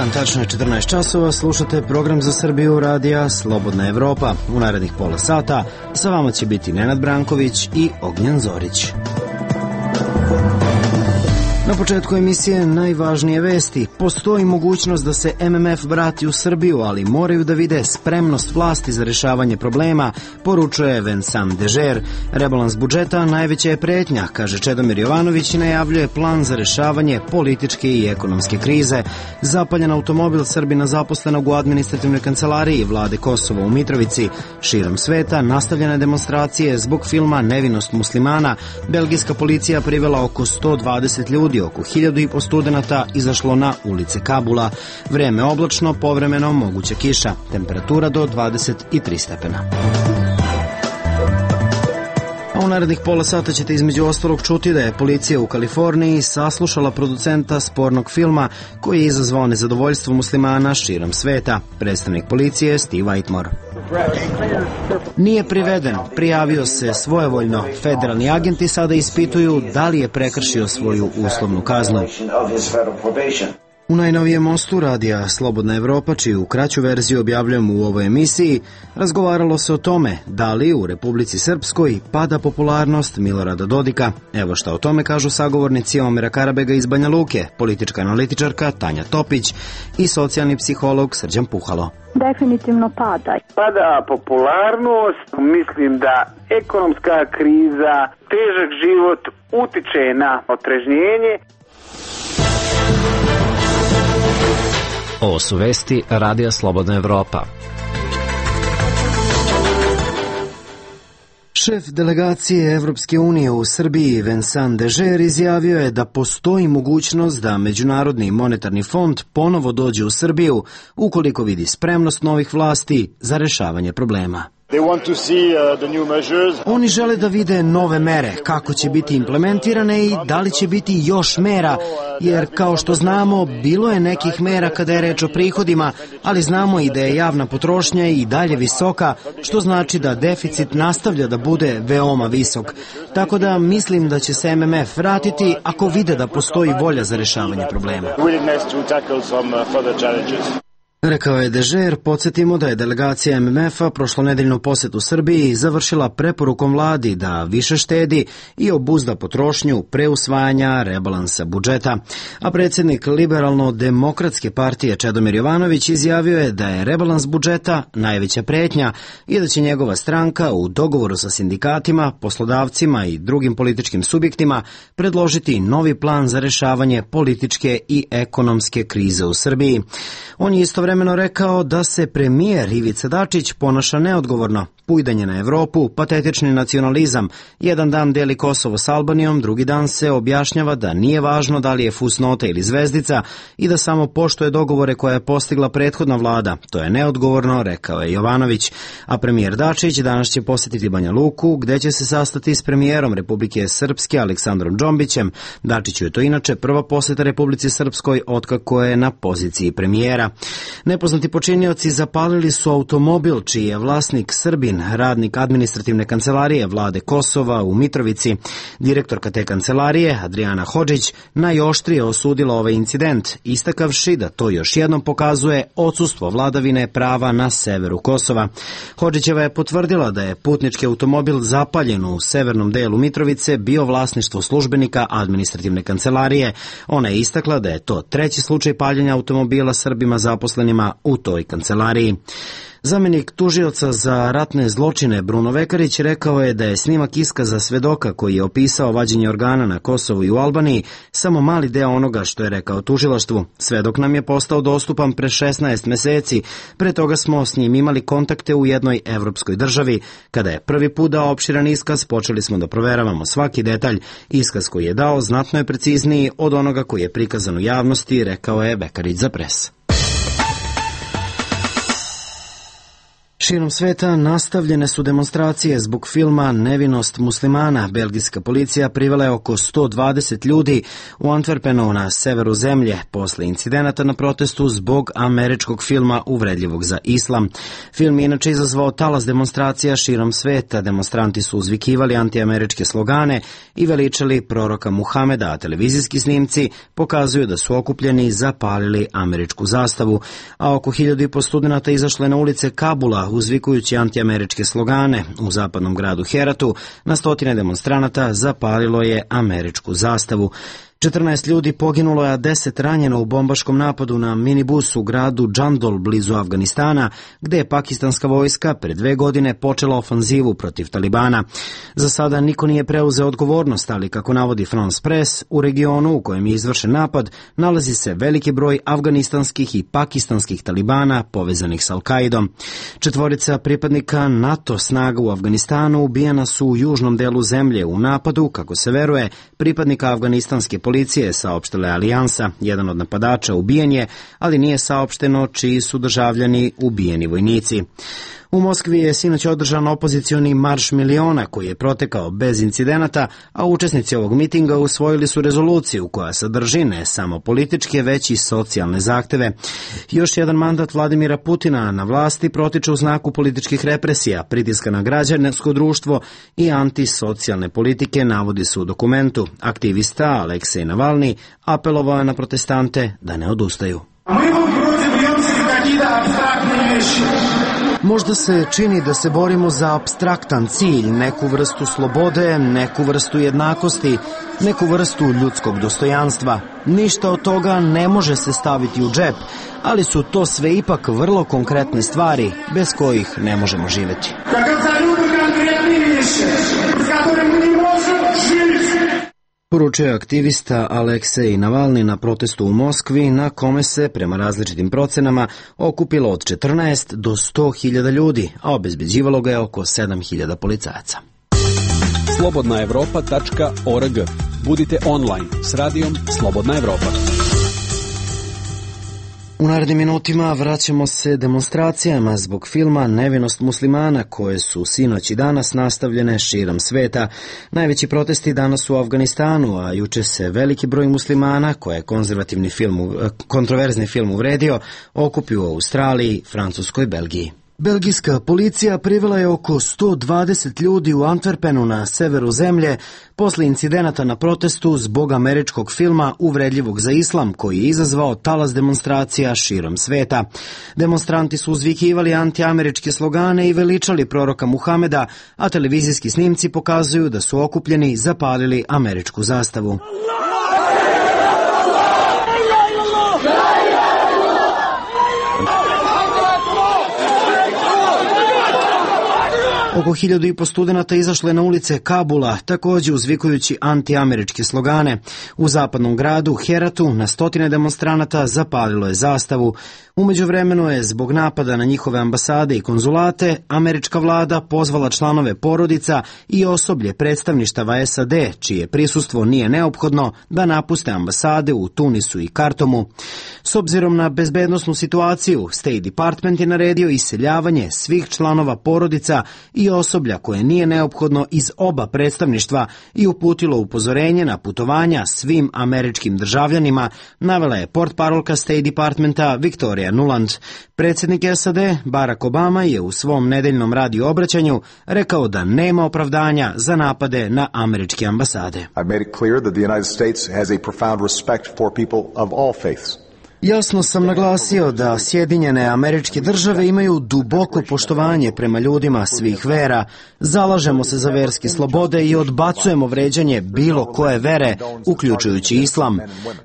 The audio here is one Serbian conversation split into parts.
dan, tačno je 14 časova, slušate program za Srbiju radija Slobodna Evropa. U narednih pola sata sa vama će biti Nenad Branković i Ognjen Zorić. Na početku emisije najvažnije vesti. Postoji mogućnost da se MMF vrati u Srbiju, ali moraju da vide spremnost vlasti za rešavanje problema, poručuje Vincent Dežer. Rebalans budžeta najveća je pretnja, kaže Čedomir Jovanović i najavljuje plan za rešavanje političke i ekonomske krize. Zapaljen automobil Srbina zaposlenog u administrativnoj kancelariji vlade Kosova u Mitrovici. Širom sveta nastavljene demonstracije zbog filma Nevinost muslimana. Belgijska policija privela oko 120 ljudi, oko 1500 studenata izašlo na ulice Kabula. Vreme oblačno, povremeno moguća kiša. Temperatura do 23 stepena. U narednih pola sata ćete između ostalog čuti da je policija u Kaliforniji saslušala producenta spornog filma koji je izazvao nezadovoljstvo muslimana širom sveta. Predstavnik policije Steve Whitmore. Nije priveden, prijavio se svojevoljno. Federalni agenti sada ispituju da li je prekršio svoju uslovnu kaznu. U najnovijem mostu radija Slobodna Evropa, čiju kraću verziju objavljujemo u ovoj emisiji, razgovaralo se o tome da li u Republici Srpskoj pada popularnost Milorada Dodika. Evo šta o tome kažu sagovornici Omera Karabega iz Banja Luke, politička analitičarka Tanja Topić i socijalni psiholog Srđan Puhalo. Definitivno pada. Pada popularnost, mislim da ekonomska kriza, težak život utiče na otrežnjenje. Ovo su vesti radija Slobodna Evropa. Šef delegacije Evropske unije u Srbiji Vincent Dežer izjavio je da postoji mogućnost da Međunarodni monetarni fond ponovo dođe u Srbiju ukoliko vidi spremnost novih vlasti za rešavanje problema. Oni žele da vide nove mere, kako će biti implementirane i da li će biti još mera, jer kao što znamo, bilo je nekih mera kada je reč o prihodima, ali znamo i da je javna potrošnja i dalje visoka, što znači da deficit nastavlja da bude veoma visok. Tako da mislim da će se MMF vratiti ako vide da postoji volja za rešavanje problema. Rekao je Dežer. Podsjetimo da je delegacija MMF-a prošlonedeljnu posetu Srbiji završila preporukom vladi da više štedi i obuzda potrošnju pre usvajanja rebalansa budžeta. A predsjednik Liberalno-demokratske partije Čedomir Jovanović izjavio je da je rebalans budžeta najveća pretnja i da će njegova stranka u dogovoru sa sindikatima, poslodavcima i drugim političkim subjektima predložiti novi plan za rešavanje političke i ekonomske krize u Srbiji. On je istovremeno rekao da se premijer Ivica Dačić ponaša neodgovorno. Pujdanje na Evropu, patetični nacionalizam, jedan dan deli Kosovo s Albanijom, drugi dan se objašnjava da nije važno da li je fusnota ili zvezdica i da samo poštuje dogovore koje je postigla prethodna vlada. To je neodgovorno, rekao je Jovanović. A premijer Dačić danas će posjetiti Banja Luku, gde će se sastati s premijerom Republike Srpske Aleksandrom Džombićem. Dačiću je to inače prva posjeta Republici Srpskoj otkako je na poziciji premijera. Nepoznati počinioci zapalili su automobil čiji je vlasnik Srbin, radnik administrativne kancelarije vlade Kosova u Mitrovici. Direktorka te kancelarije, Adriana Hodžić, najoštrije osudila ovaj incident, istakavši da to još jednom pokazuje odsustvo vladavine prava na severu Kosova. Hodžićeva je potvrdila da je putnički automobil zapaljen u severnom delu Mitrovice bio vlasništvo službenika administrativne kancelarije. Ona je istakla da je to treći slučaj paljenja automobila Srbima zaposlenima u toj kancelariji. Zamenik tužioca za ratne zločine Bruno Vekarić rekao je da je snimak iskaza svedoka koji je opisao vađenje organa na Kosovu i u Albaniji samo mali deo onoga što je rekao tužilaštvu. Svedok nam je postao dostupan pre 16 meseci, pre toga smo s njim imali kontakte u jednoj evropskoj državi. Kada je prvi put dao opširan iskaz, počeli smo da proveravamo svaki detalj. Iskaz koji je dao znatno je precizniji od onoga koji je prikazan u javnosti, rekao je Vekarić za Pres. Širom sveta nastavljene su demonstracije zbog filma Nevinost muslimana. Belgijska policija privela je oko 120 ljudi u Antwerpenu na severu zemlje posle incidenata na protestu zbog američkog filma uvredljivog za islam. Film je inače izazvao talas demonstracija širom sveta. Demonstranti su uzvikivali antiameričke slogane i veličali proroka Muhameda, a televizijski snimci pokazuju da su okupljeni i zapalili američku zastavu, a oko 1500 studenata izašlo je na ulice Kabula uzvikujući antiameričke slogane. U zapadnom gradu Heratu na stotine demonstranata zapalilo je američku zastavu. 14 ljudi poginulo je, a 10 ranjeno u bombaškom napadu na minibus u gradu Džandol blizu Afganistana, gde je pakistanska vojska pred 2 godine počela ofanzivu protiv Talibana. Za sada niko nije preuzeo odgovornost, ali kako navodi France Press, u regionu u kojem je izvršen napad nalazi se veliki broj afganistanskih i pakistanskih Talibana povezanih s Al-Kaidom. 4 pripadnika NATO snaga u Afganistanu ubijena su u južnom delu zemlje u napadu, kako se veruje, pripadnika afganistanske policije, saopštila je Alijansa. Jedan od napadača ubijen je, ali nije saopšteno čiji su državljani ubijeni vojnici. U Moskvi je sinoć održan opozicioni marš miliona koji je protekao bez incidenata, a učesnici ovog mitinga usvojili su rezoluciju koja sadrži ne samo političke, već i socijalne zahteve. Još jedan mandat Vladimira Putina na vlasti protiče u znaku političkih represija, pritiska na građansko društvo i antisocijalne politike, navodi se u dokumentu. Aktivista Aleksej Navalni apelovao je na protestante da ne odustaju. Možda se čini da se borimo za apstraktan cilj, neku vrstu slobode, neku vrstu jednakosti, neku vrstu ljudskog dostojanstva. Ništa od toga ne može se staviti u džep, ali su to sve ipak vrlo konkretne stvari bez kojih ne možemo živjeti. Poručio je aktivista Aleksej Navalni na protestu u Moskvi, na kome se, prema različitim procenama, okupilo od 14 do 100.000 ljudi, a obezbeđivalo ga je oko 7.000 policajaca. slobodnaevropa.org. Budite online s radijom Slobodna Evropa. U narednim minutima vraćamo se demonstracijama zbog filma Nevinost muslimana koje su sinoć i danas nastavljene širom sveta. Najveći protesti danas u Afganistanu, a juče se veliki broj muslimana koje je kontroverzni film uvredio okupio u Australiji, Francuskoj, Belgiji. Belgijska policija privela je oko 120 ljudi u Antwerpenu na severu zemlje posle incidenata na protestu zbog američkog filma uvredljivog za islam koji je izazvao talas demonstracija širom sveta. Demonstranti su uzvikivali antiameričke slogane i veličali proroka Muhameda, a televizijski snimci pokazuju da su okupljeni zapalili američku zastavu. Oko 1500 studenata izašlo je na ulice Kabula, također uzvikujući antiameričke slogane. U zapadnom gradu Heratu na stotine demonstranata zapalilo je zastavu. U međuvremenu je zbog napada na njihove ambasade i konzulate američka vlada pozvala članove porodica i osoblje predstavništava SAD, čije prisustvo nije neophodno, da napuste ambasade u Tunisu i Kartomu. S obzirom na bezbednosnu situaciju, State Department je naredio iseljavanje svih članova porodica i osoblja koje nije neophodno iz oba predstavništva i uputilo upozorenje na putovanja svim američkim državljanima, navela je portparolka State Departmenta Victoria Nuland. Predsjednik SAD Barack Obama je u svom nedeljnom radio obraćanju rekao da nema opravdanja za napade na američke ambasade. I made it clear that the United States has a profound respect for people of all faiths. Jasno sam naglasio da Sjedinjene Američke Države imaju duboko poštovanje prema ljudima svih vera. Zalažemo se za verske slobode i odbacujemo vređanje bilo koje vere, uključujući islam.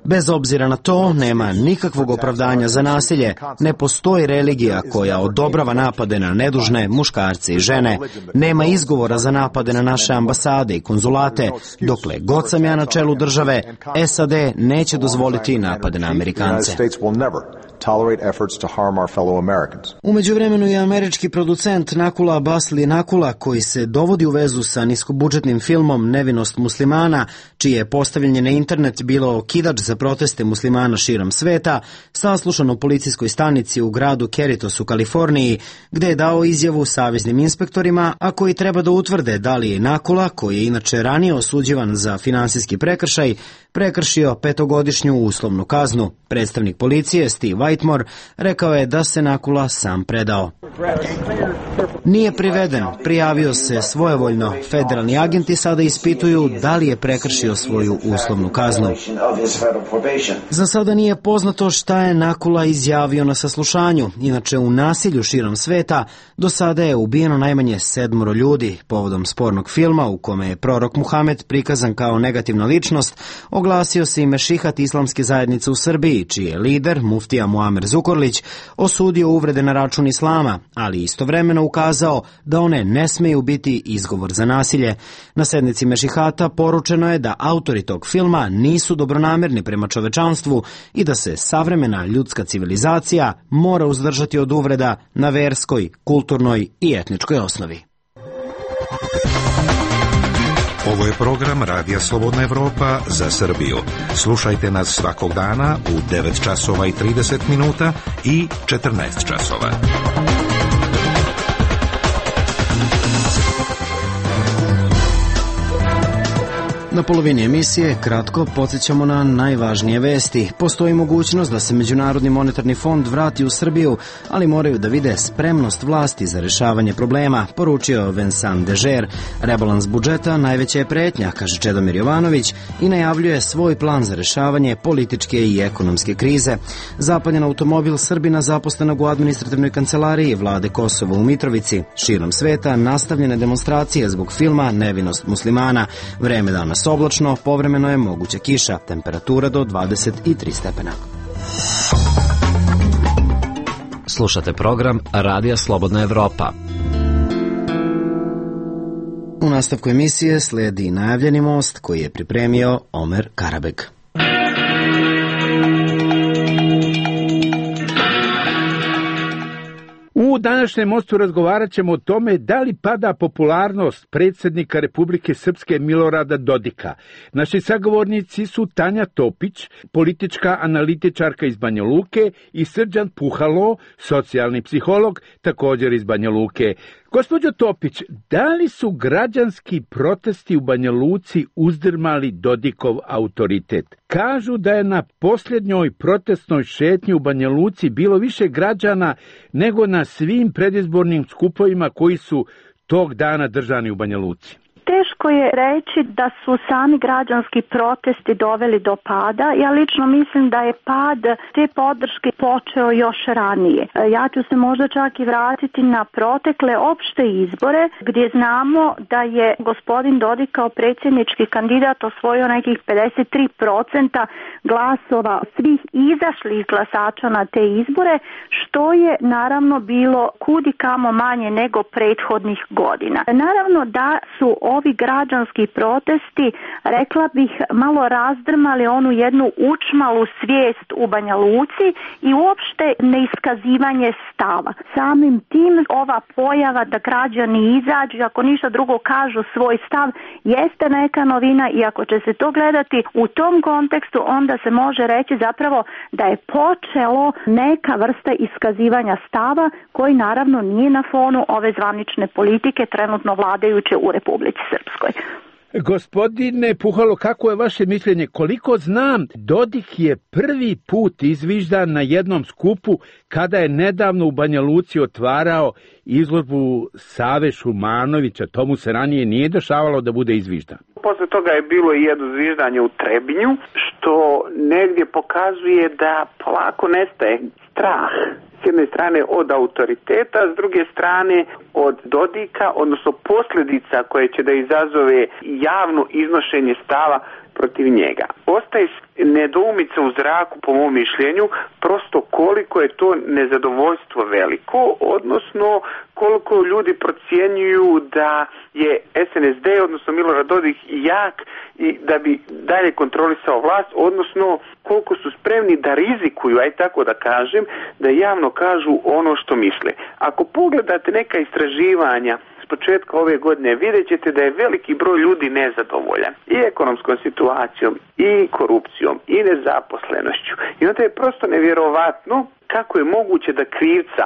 Bez obzira na to, nema nikakvog opravdanja za nasilje. Ne postoji religija koja odobrava napade na nedužne muškarce i žene. Nema izgovora za napade na naše ambasade i konzulate. Dokle god sam ja na čelu države, SAD neće dozvoliti napade na Amerikance. Will never tolerate efforts to harm our fellow Americans. U međuvremenu je američki producent Nakula Basli Nakula, koji se dovodi u vezu sa niskobudžetnim filmom Nevinost muslimana, čije je postavljanje na internet bilo okidač za proteste muslimana širom sveta, saslušan u policijskoj stanici u gradu Cerritos u Kaliforniji, gde je dao izjavu saveznim inspektorima, a koji treba da utvrde da li je Nakula, koji je inače ranije osuđivan za finansijski prekršaj, prekršio 5-godišnju uslovnu kaznu. Predstavnik policije Steve Whitmore rekao je da se Nakula sam predao. Nije priveden, prijavio se svojevoljno. Federalni agenti sada ispituju da li je prekršio svoju uslovnu kaznu. Za sada nije poznato šta je Nakula izjavio na saslušanju. Inače, u nasilju širom sveta do sada je ubijeno najmanje 7 ljudi. Povodom spornog filma u kome je prorok Muhamed prikazan kao negativna ličnost, oglasio se i mešihat islamske zajednice u Srbiji, čiji je lider, muftija Muamer Zukorlić, osudio uvrede na račun islama, ali istovremeno ukazao da one ne smeju biti izgovor za nasilje. Na sednici mešihata poručeno je da autori tog filma nisu dobronamerni prema čovečanstvu i da se savremena ljudska civilizacija mora uzdržati od uvreda na verskoj, kulturnoj i etničkoj osnovi. Ovo je program Radija Slobodna Evropa za Srbiju. Slušajte nas svakog dana u 9 časova i 30 minuta i 14 časova. Na polovini emisije kratko podsjećamo na najvažnije vesti. Postoji mogućnost da se Međunarodni monetarni fond vrati u Srbiju, ali moraju da vide spremnost vlasti za rešavanje problema, poručio Vincent Dežer. Rebalans budžeta najveća je pretnja, kaže Čedomir Jovanović, i najavljuje svoj plan za rešavanje političke i ekonomske krize. Zapaljen automobil Srbina zaposlenog u administrativnoj kancelariji vlade Kosova u Mitrovici. Širom sveta nastavljene demonstracije zbog filma Nevinost muslimana. Vreme danas oblačno, povremeno je moguća kiša, temperatura do 23 stepena. Slušate program Radija Slobodna Evropa. U nastavku emisije sledi najavljeni most koji je pripremio Omer Karabeg. U današnjem mostu razgovarat ćemo o tome da li pada popularnost predsjednika Republike Srpske Milorada Dodika. Naši sagovornici su Tanja Topić, politička analitičarka iz Banja Luke, i Srđan Puhalo, socijalni psiholog, također iz Banja Luke. Gospođo Topić, da li su građanski protesti u Banja Luci uzdrmali Dodikov autoritet? Kažu da je na posljednjoj protestnoj šetnji u Banja Luci bilo više građana nego na svim predizbornim skupovima koji su tog dana držani u Banja Luci. Teško je reći da su sami građanski protesti doveli do pada. Ja lično mislim da je pad te podrške počeo još ranije. Ja ću se možda čak i vratiti na protekle opšte izbore, gdje znamo da je gospodin Dodik kao predsjednički kandidat osvojio nekih 53% glasova svih izašlih glasača na te izbore, što je naravno bilo kudikamo manje nego prethodnih godina. Naravno da su ovi građanski protesti, rekla bih, malo razdrmali onu jednu učmalu svijest u Banja Luci i uopšte neiskazivanje stava. Samim tim ova pojava da građani izađu, ako ništa drugo kažu svoj stav, jeste neka novina, i ako će se to gledati u tom kontekstu, onda se može reći zapravo da je počelo neka vrsta iskazivanja stava koji naravno nije na fonu ove zvanične politike trenutno vladajuće u Republici Srpskoj. Gospodine Puhalo, kako je vaše mišljenje? Koliko znam, Dodik je prvi put izviždan na jednom skupu kada je nedavno u Banja Luci otvarao izložbu Save Šumanovića. Tomu se ranije nije dešavalo da bude izviždan. Posle toga je bilo i jedno zviždanje u Trebinju, što negdje pokazuje da polako nestaje strah. S jedne strane od autoriteta, s druge strane od Dodika, odnosno posljedica koje će da izazove javno iznošenje stava protiv njega. Ostaje nedoumica u zraku, po mom mišljenju, prosto koliko je to nezadovoljstvo veliko, odnosno koliko ljudi procjenjuju da je SNSD, odnosno Milorad Dodik, jak i da bi dalje kontrolisao vlast, odnosno koliko su spremni da rizikuju, aj tako da kažem, da javno kažu ono što misle. Ako pogledate neka istraživanja s početka ove godine, vidjet ćete da je veliki broj ljudi nezadovoljan i ekonomskom situacijom, i korupcijom, i nezaposlenošću. I onda je prosto nevjerovatno kako je moguće da krivca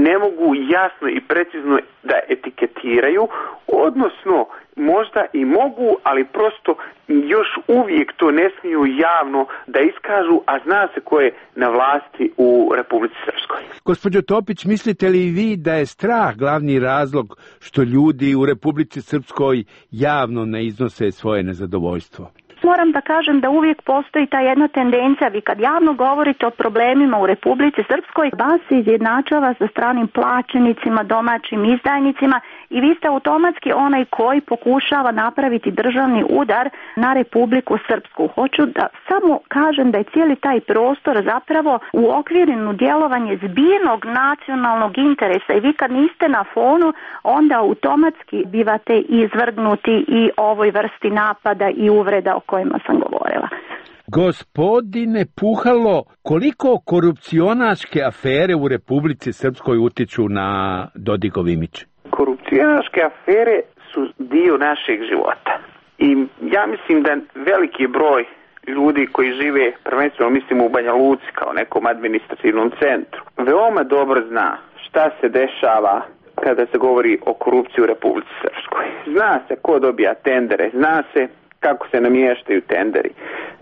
ne mogu jasno i precizno da etiketiraju, odnosno možda i mogu, ali prosto još uvijek to ne smiju javno da iskažu, a zna se ko je na vlasti u Republici Srpskoj. Gospođo Topić, mislite li vi da je strah glavni razlog što ljudi u Republici Srpskoj javno ne iznose svoje nezadovoljstvo? Moram da kažem da uvijek postoji ta jedna tendencija, vi kad javno govorite o problemima u Republici Srpskoj, vas se izjednačava sa stranim plaćenicima, domaćim izdajnicima i vi ste automatski onaj koji pokušava napraviti državni udar na Republiku Srpsku. Hoću da samo kažem da je cijeli taj prostor zapravo uokviren u djelovanje zbirnog nacionalnog interesa i vi kad niste na fonu, onda automatski bivate izvrgnuti i ovoj vrsti napada i uvreda o kojima sam govorila. Gospodine Puhalo, koliko korupcionaške afere u Republici Srpskoj utiču na Dodigov imidž? Korupcionaške afere su dio našeg života. I ja mislim da veliki broj ljudi koji žive, prvenstveno mislim u Banja Luci kao nekom administrativnom centru, veoma dobro zna šta se dešava kada se govori o korupciji u Republici Srpskoj. Zna se ko dobija tendere, zna se kako se namještaju tenderi,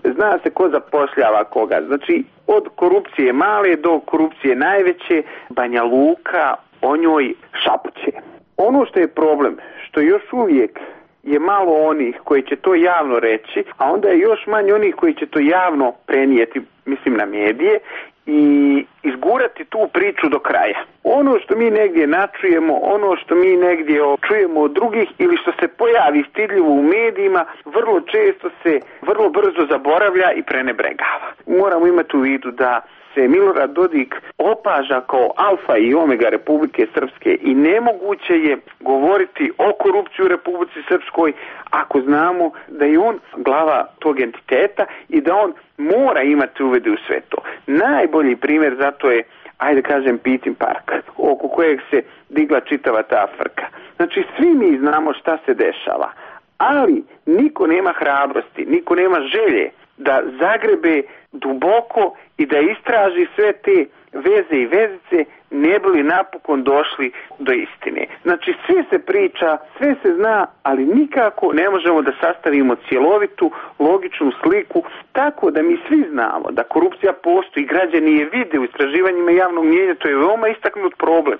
zna se ko zapošljava koga. Znači, od korupcije male do korupcije najveće, Banja Luka o njoj šapuće. Ono što je problem, što još uvijek je malo onih koji će to javno reći, a onda je još manje onih koji će to javno prenijeti, mislim na medije, i izgurati tu priču do kraja. Ono što mi negdje načujemo, ono što mi negdje čujemo od drugih ili što se pojavi stidljivo u medijima, vrlo često se vrlo brzo zaboravlja i prenebregava. Moramo imati u vidu da se Milorad Dodik opaža kao alfa i omega Republike Srpske i nemoguće je govoriti o korupciji u Republici Srpskoj ako znamo da je on glava tog entiteta i da on mora imati uvide u sve to. Najbolji primjer zato je, ajde kažem, Pitin park, oko kojeg se digla čitava ta frka. Znači, svi mi znamo šta se dešava, ali niko nema hrabrosti, niko nema želje da zagrebe duboko i da istraži sve te veze i vezice, ne bi li napokon došli do istine. Znači, sve se priča, sve se zna, ali nikako ne možemo da sastavimo cjelovitu, logičnu sliku, tako da mi svi znamo da korupcija postoji, građani je vide u istraživanjima javnog mnijenja, to je veoma istaknut problem,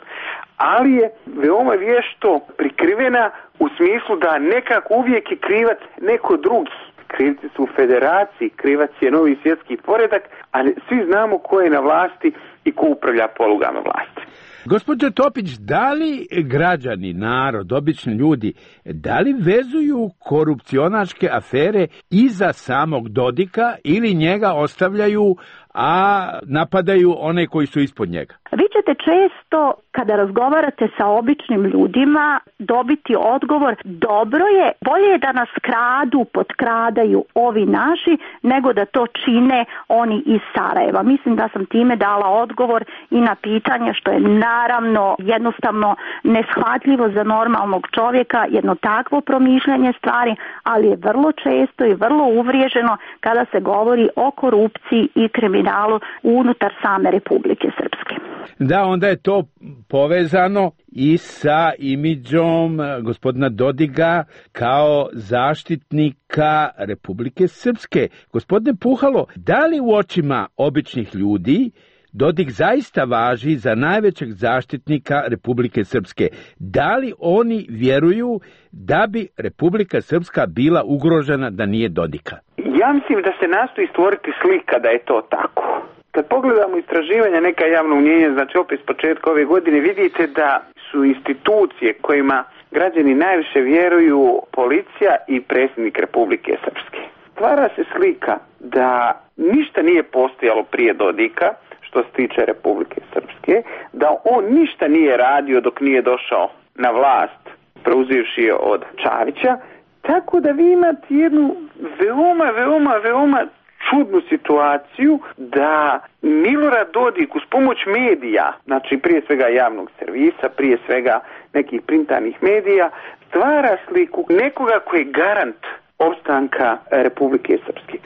ali je veoma vješto prikrivena u smislu da nekako uvijek je krivac neko drugi. Krivci su u federaciji, krivac je novi svjetski poredak, ali svi znamo ko je na vlasti i ko upravlja polugama vlasti. Gospođo Topić, da li građani, narod, obični ljudi, da li vezuju korupcionaške afere iza samog Dodika ili njega ostavljaju, a napadaju one koji su ispod njega? Vi ćete često, kada razgovarate sa običnim ljudima, dobiti odgovor: dobro je, bolje je da nas kradu, potkradaju ovi naši, nego da to čine oni iz Sarajeva. Mislim da sam time dala odgovor i na pitanje, što je naravno jednostavno neshvatljivo za normalnog čovjeka, jedno takvo promišljanje stvari, ali je vrlo često i vrlo uvriježeno kada se govori o korupciji i kriminalu unutar same Republike Srpske. Da, onda je to povezano i sa imidžom gospodina Dodiga kao zaštitnika Republike Srpske. Gospodine Puhalo, da li u očima običnih ljudi Dodik zaista važi za najvećeg zaštitnika Republike Srpske? Da li oni vjeruju da bi Republika Srpska bila ugrožena da nije Dodika? Ja mislim da se nastoji stvoriti slika da je to tako. Kad pogledamo istraživanja neka javnog mnijenja, znači opet s početka ove godine, vidite da su institucije kojima građani najviše vjeruju policija i predsjednik Republike Srpske. stvara se slika da ništa nije postojalo prije Dodika, što se tiče Republike Srpske, da on ništa nije radio dok nije došao na vlast, preuzivši je od Čavića, tako da vi imate jednu veoma čudnu situaciju da Milorad Dodik uz pomoć medija, znači prije svega javnog servisa, prije svega nekih printanih medija, stvara sliku nekoga koji je garant opstanka Republike Srpske.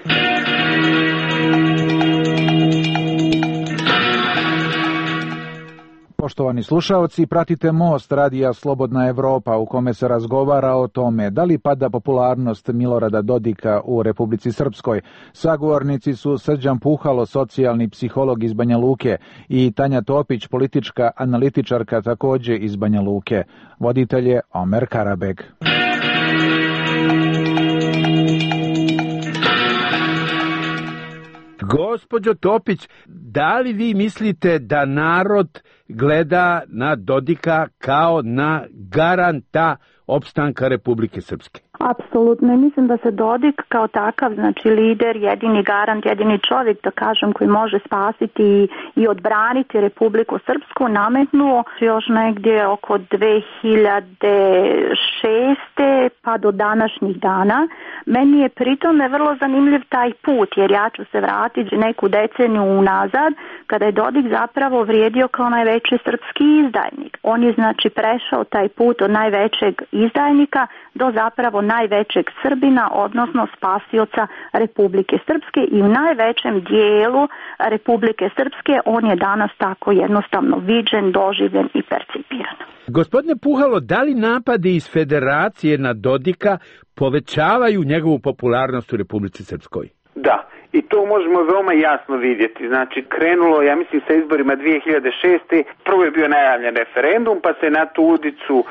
Poštovani slušaoci, pratite Most radija Slobodna Evropa u kome se razgovara o tome da li pada popularnost Milorada Dodika u Republici Srpskoj. Sagovornici su Srđan Puhalo, socijalni psiholog iz Banja Luke, i Tanja Topić, politička analitičarka takođe iz Banja Luke. Voditelj je Omer Karabeg. Gospođo Topić, da li vi mislite da narod gleda na Dodika kao na garanta opstanka Republike Srpske? Apsolutno. Mislim da se Dodik kao takav, znači lider, jedini garant, jedini čovjek, da kažem, koji može spasiti i odbraniti Republiku Srpsku, nametnuo još negdje oko 2006. pa do današnjih dana. Meni je pritome vrlo zanimljiv taj put, jer ja ću se vratiti neku deceniju unazad, kada je Dodik zapravo vrijedio kao najveći srpski izdajnik. On je znači prešao taj put od najvećeg izdajnika do zapravo najvećeg Srbina, odnosno spasioca Republike Srpske, i u najvećem dijelu Republike Srpske on je danas tako jednostavno viđen, doživljen i percipiran. Gospodine Puhalo, da li napadi iz Federacije na Dodika povećavaju njegovu popularnost u Republici Srpskoj? Da. I to možemo veoma jasno vidjeti. Znači, krenulo, ja mislim, sa izborima 2006. Prvo je bio najavljen referendum, pa se na tu udicu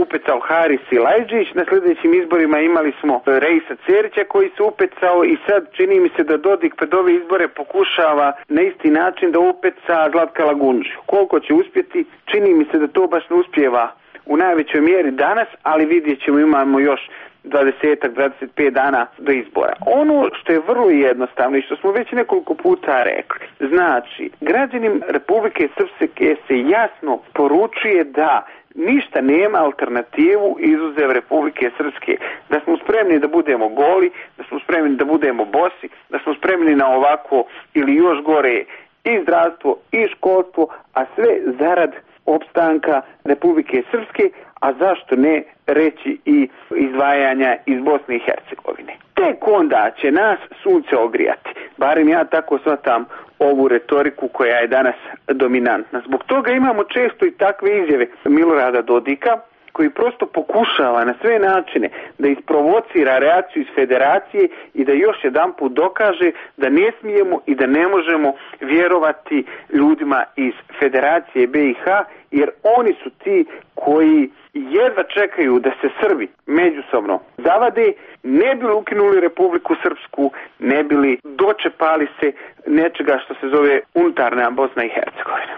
upecao Haris Silajdžić. Na sljedećim izborima imali smo Reisa Cerića koji se upecao i sad čini mi se da Dodik pred ove izbore pokušava na isti način da upeca Zlatka Lagundžiju. Koliko će uspjeti, čini mi se da to baš ne uspijeva u najvećoj mjeri danas, ali vidjet ćemo, imamo još 20-25 dana do izbora. Ono što je vrlo jednostavno i što smo već nekoliko puta rekli, znači, građanin Republike Srpske se jasno poručuje da ništa nema alternativu izuzev Republike Srpske. Da smo spremni da budemo goli, da smo spremni da budemo bosi, da smo spremni na ovako ili još gore i zdravstvo i školstvo, a sve zarad opstanka Republike Srpske, a zašto ne reći i izdvajanja iz Bosne i Hercegovine. Tek onda će nas sunce ogrijati. Barem ja tako shvatam ovu retoriku koja je danas dominantna. Zbog toga imamo često i takve izjave Milorada Dodika, koji prosto pokušava na sve načine da isprovocira reakciju iz Federacije i da još jedanput dokaže da ne smijemo i da ne možemo vjerovati ljudima iz Federacije BiH, jer oni su ti koji jedva čekaju da se Srbi međusobno zavade, ne bi li ukinuli Republiku Srpsku, ne bi li dočepali se nečega što se zove unutarnja Bosna i Hercegovina.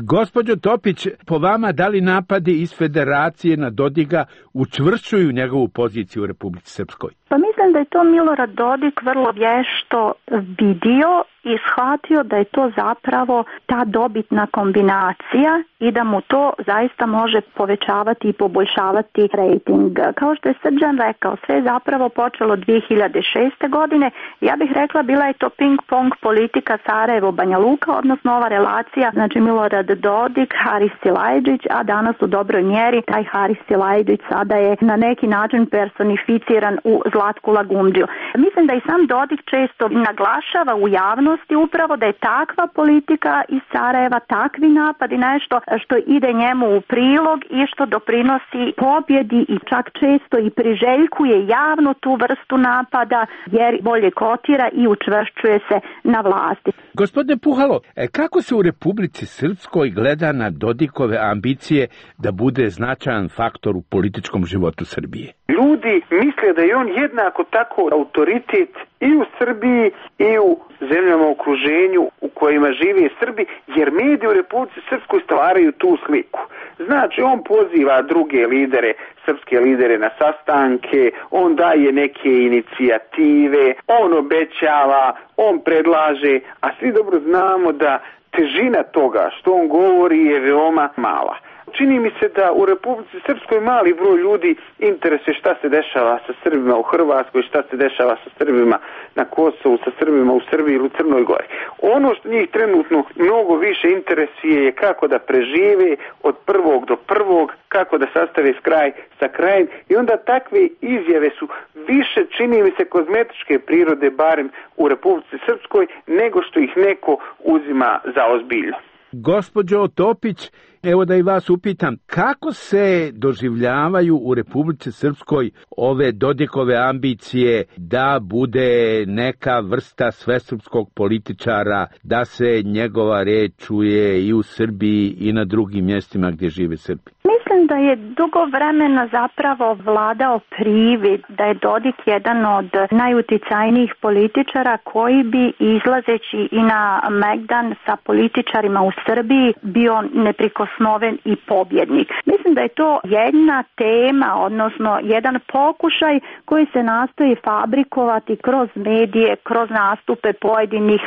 Gospođo Topić, po vama, da li napadi iz Federacije na Dodika učvršćuju njegovu poziciju u Republici Srpskoj? Pa mislim da je to Milorad Dodik vrlo vješto vidio i shvatio da je to zapravo ta dobitna kombinacija i da mu to zaista može povećavati i poboljšavati rejting. Kao što je Srđan rekao, sve je zapravo počelo 2006. godine. Ja bih rekla bila je to ping-pong politika Sarajevo-Banja Luka, odnosno ova relacija, znači Milorad Dodik, Haris Silajdžić, a danas u dobroj mjeri taj Haris Silajdžić sada je na neki način personificiran u Zlatku Lagundžiju. Mislim da i sam Dodik često naglašava u javnosti upravo da je takva politika iz Sarajeva, takvi napadi, nešto što ide njemu u prilog i što doprinosi pobjedi i čak često i priželjkuje javno tu vrstu napada jer bolje kotira i učvršćuje se na vlasti. Gospodine Puhalo, kako se u Republici Srpskoj gleda na Dodikove ambicije da bude značajan faktor u političkom životu Srbije? Ljudi misle da je on jednako tako autoritet i u Srbiji i u zemljama u okruženju u kojima žive Srbi, jer mediji u Republici Srpskoj stvaraju tu sliku. Znači, on poziva druge lidere, srpske lidere na sastanke, on daje neke inicijative, on obećava, on predlaže, a svi dobro znamo da težina toga što on govori je veoma mala. Čini mi se da u Republici Srpskoj mali broj ljudi interesuje šta se dešava sa Srbima u Hrvatskoj, šta se dešava sa Srbima na Kosovu, sa Srbima u Srbiji ili u Crnoj Gori. Ono što njih trenutno mnogo više interesuje je kako da prežive od prvog do prvog, kako da sastave kraj sa krajem, i onda takve izjave su više, čini mi se, kozmetičke prirode, barem u Republici Srpskoj, nego što ih neko uzima za ozbiljno. Gospođo Topić, evo da i vas upitam, kako se doživljavaju u Republici Srpskoj ove Dodikove ambicije da bude neka vrsta svesrpskog političara, da se njegova reč čuje i u Srbiji i na drugim mjestima gdje žive Srbi? Mislim da je dugo vremena zapravo vladao privid da je Dodik jedan od najuticajnijih političara koji bi, izlazeći i na Megdan sa političarima u Srbiji, bio neprikosnoven i pobjednik. Mislim da je to jedna tema, odnosno jedan pokušaj koji se nastoji fabrikovati kroz medije, kroz nastupe pojedinih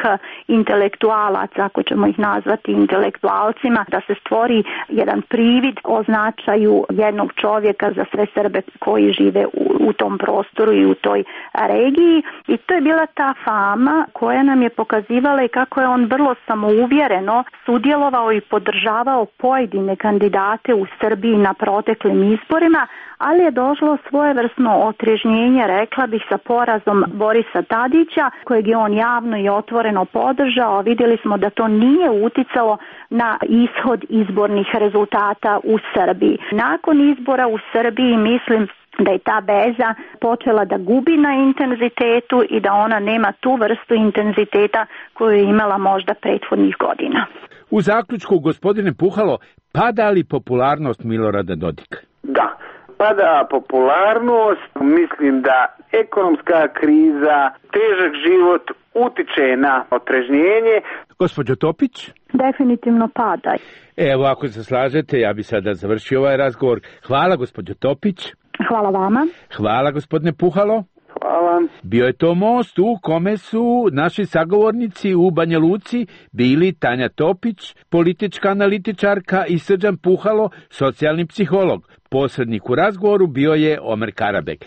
intelektualaca, ako ćemo ih nazvati intelektualcima, da se stvori jedan privid o značaju jednog čovjeka za sve Srbe koji žive u tom prostoru i u toj regiji. I to je bila ta fama koja nam je pokazivala i kako je on vrlo samouvjereno sudjelovao i podržavao pojedine kandidate u Srbiji na proteklim izborima, ali je došlo svojevrsno otrežnjenje, rekla bih, sa porazom Borisa Tadića, kojeg je on javno i otvoreno podržao. Vidjeli smo da to nije uticalo na ishod izbornih rezultata u Srbiji. Nakon izbora u Srbiji mislim da je ta veza počela da gubi na intenzitetu i da ona nema tu vrstu intenziteta koju je imala možda prethodnih godina. U zaključku, gospodine Puhalo, pada li popularnost Milorada Dodika? Da, pada popularnost. Mislim da ekonomska kriza, težak život utiče na otrežnjenje. Gospođo Topić? Definitivno pada. Evo, ako se slažete, ja bi sada završio ovaj razgovor. Hvala, gospođo Topić. Hvala vama. Hvala, gospodine Puhalo. Hvala. Bio je to most u kome su naši sagovornici u Banja Luci bili Tanja Topić, politička analitičarka, i Srđan Puhalo, socijalni psiholog. Posrednik u razgovoru bio je Omer Karabek.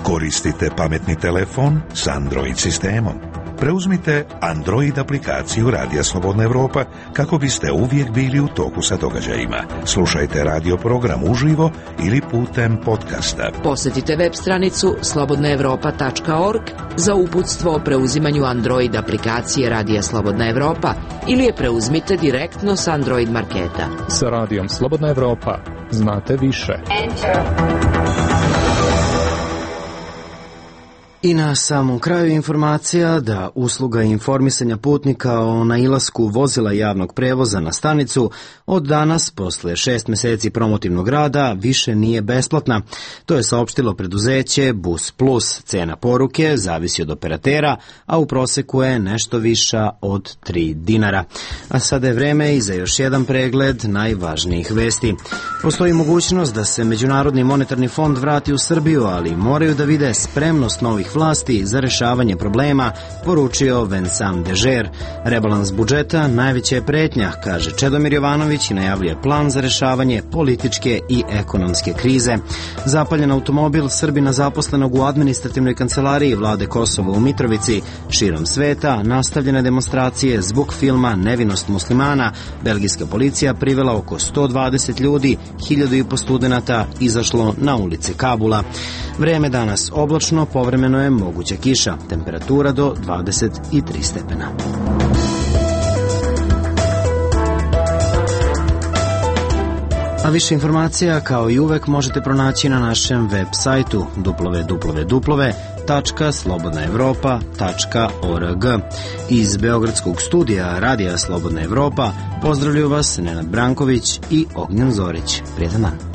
Koristite pametni telefon s Android sistemom. Preuzmite Android aplikaciju Radija Slobodna Evropa kako biste uvijek bili u toku sa događajima. Slušajte radio program uživo ili putem podcasta. Posjetite web stranicu slobodnaevropa.org za uputstvo o preuzimanju Android aplikacije Radija Slobodna Evropa ili je preuzmite direktno s Android marketa. Sa Radijom Slobodna Evropa znate više. I na samom kraju informacija da usluga informisanja putnika o nailasku vozila javnog prevoza na stanicu od danas, posle 6 meseci promotivnog rada, više nije besplatna. To je saopštilo preduzeće Bus Plus. Cena poruke zavisi od operatera, a u proseku je nešto viša od 3 dinara. A sada je vreme i za još jedan pregled najvažnijih vesti. Postoji mogućnost da se Međunarodni monetarni fond vrati u Srbiju, ali moraju da vide spremnost novih vlasti za rešavanje problema, poručio Vincent Dežer. Rebalans budžeta najveća je pretnja, kaže Čedomir Jovanović, i najavljuje plan za rešavanje političke i ekonomske krize. Zapaljen automobil Srbina zaposlenog u administrativnoj kancelariji vlade Kosova u Mitrovici. Širom sveta nastavljene demonstracije zbog filma Nevinost muslimana. Belgijska policija privela oko 120 ljudi, 1500 studenata izašlo na ulice Kabula. Vreme danas oblačno, povremeno je moguća kiša, temperatura do 23 stepena. A više informacija, kao i uvek, možete pronaći na našem web sajtu www.slobodnaevropa.org. Iz Beogradskog studija Radija Slobodna Evropa pozdravljuju vas Nenad Branković i Ognjen Zorić. Prijetan dan.